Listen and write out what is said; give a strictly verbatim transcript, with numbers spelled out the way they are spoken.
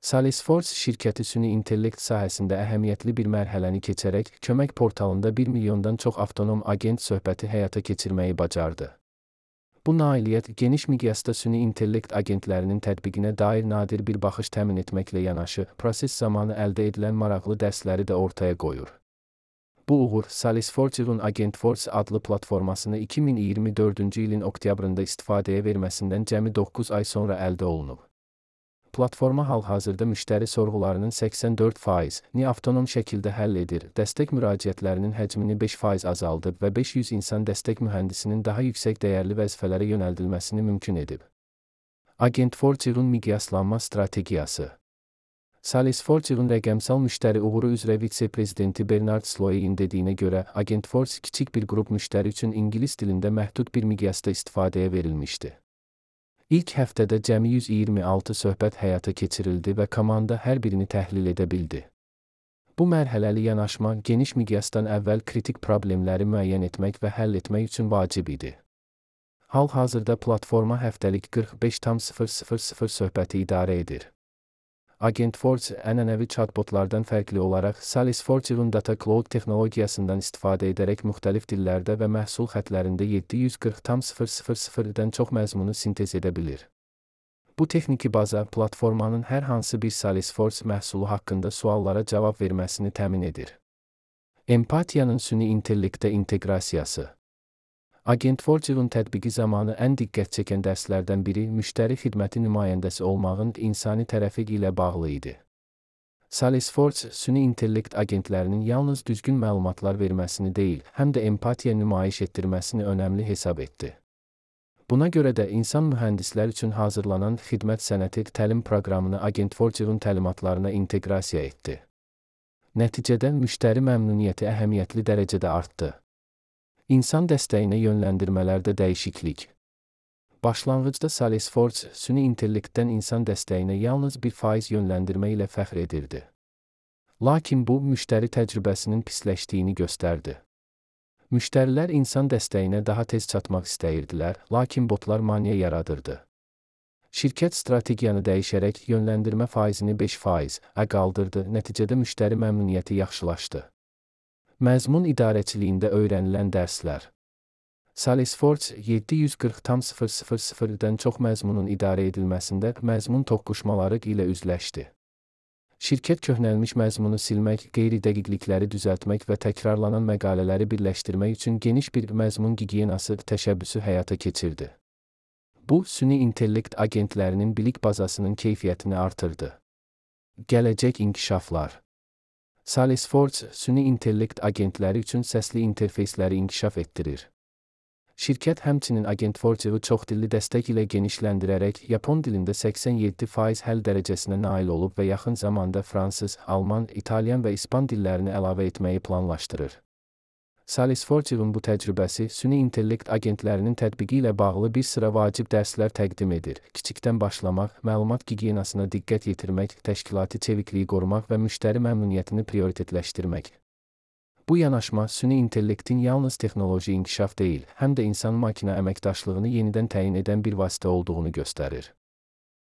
Salesforce şirkəti süni intellekt sahəsində əhəmiyyətli bir mərhələni keçərək kömək portalında bir milyondan çox avtonom agent söhbəti həyata keçirməyi bacardı. Bu nailiyyət geniş miqyasda süni intellekt agentlərinin tətbiqinə dair nadir bir baxış təmin etməklə yanaşı, proses zamanı əldə edilən maraqlı dərsləri də ortaya qoyur. Bu uğur, Salesforce'un AgentForce adlı platformasını iki min iyirmi dördüncü ilin oktyabrında istifadəyə verməsindən cəmi doqquz ay sonra əldə olunub. Platforma hal-hazırda müştəri sorğularının səksən dörd faizini avtonom şəkildə həll edir, dəstək müraciətlərinin həcmini beş faiz azaldıb və beş yüz insan dəstək mühəndisinin daha yüksək dəyərli vəzifələrə yönəldilməsini mümkün edib. AgentForce'un miqyaslanma strategiyası. Salesforce'un rəqəmsal müştəri uğuru üzrə vitse-prezidenti Bernard Sloy'in dediyinə görə, AgentForce kiçik bir qrup müştəri üçün ingilis dilində məhdud bir miqyasda istifadəyə verilmişdi. İlk həftədə cəmi yüz iyirmi altı söhbət həyata keçirildi və komanda hər birini təhlil edə bildi. Bu mərhələli yanaşma geniş miqyasdan əvvəl kritik problemləri müəyyən etmək və həll etmək üçün vacib idi. Hal-hazırda platforma həftəlik qırx beş tam sıfır sıfır sıfır söhbəti idarə edir. AgentForce ənənəvi chatbotlardan fərqli olaraq Salesforce'un Data Cloud texnologiyasından istifadə edərək müxtəlif dillərdə və məhsul xətlərində yeddi yüz qırx tam sıfır sıfır sıfırdan çox məzmunu sintez edə bilir. Bu texniki baza platformanın hər hansı bir Salesforce məhsulu haqqında suallara cavab verməsini təmin edir. Empatiyanın süni intellektə inteqrasiyası. AgentForce'un tətbiqi zamanı ən diqqət çəkən dərslərdən biri müştəri xidməti nümayəndəsi olmağın insani tərəfi ilə bağlı idi. Salesforce, süni intellekt agentlərinin yalnız düzgün məlumatlar verməsini deyil, həm də empatiya nümayiş etdirməsini önəmli hesab etdi. Buna görə də insan mühəndislər üçün hazırlanan xidmət sənəti təlim proqramını AgentForce'un təlimatlarına inteqrasiya etdi. Nəticədə müştəri məmnuniyyəti əhəmiyyətli dərəcədə artdı. İnsan dəstəyinə yönləndirmələrdə dəyişiklik. Başlanğıcda Salesforce, süni intellektdən insan dəstəyinə yalnız bir faiz yönləndirmə ilə fəxr edirdi. Lakin bu, müştəri təcrübəsinin pisləşdiyini göstərdi. Müştərilər insan dəstəyinə daha tez çatmaq istəyirdilər, lakin botlar maneə yaradırdı. Şirkət strategiyanı dəyişərək yönləndirmə faizini beş faizə qaldırdı, nəticədə müştəri məmnuniyyəti yaxşılaşdı. Məzmun idarəçiliyində öyrənilən dərslər. Salesforce yeddi yüz qırx tam sıfır sıfır sıfırdan çox məzmunun idarə edilməsində məzmun toqquşmaları ilə üzləşdi. Şirkət köhnəlmiş məzmunu silmək, qeyri-dəqiqlikləri düzəltmək və təkrarlanan məqalələri birləşdirmək üçün geniş bir məzmun gigiyenası təşəbbüsü həyata keçirdi. Bu, süni intellekt agentlərinin bilik bazasının keyfiyyətini artırdı. Gələcək inkişaflar. Salesforce, süni intellekt agentləri üçün səsli interfeysləri inkişaf etdirir. Şirkət həmçinin AgentForce'u çoxdilli dəstək ilə genişləndirərək Yapon dilində səksən yeddi faiz həll dərəcəsinə nail olub və yaxın zamanda fransız, alman, italyan və ispan dillərini əlavə etməyi planlaşdırır. Salesforce'un bu təcrübəsi süni intellekt agentlərinin tətbiqi ilə bağlı bir sıra vacib dərslər təqdim edir. Kiçikdən başlamaq, məlumat gigiyenasına diqqət yetirmək, təşkilati çevikliyi qorumaq və müştəri məmnuniyyətini prioritetləşdirmək. Bu yanaşma süni intellektin yalnız texnoloji inkişaf deyil, həm də insan-makina əməkdaşlığını yenidən təyin edən bir vasitə olduğunu göstərir.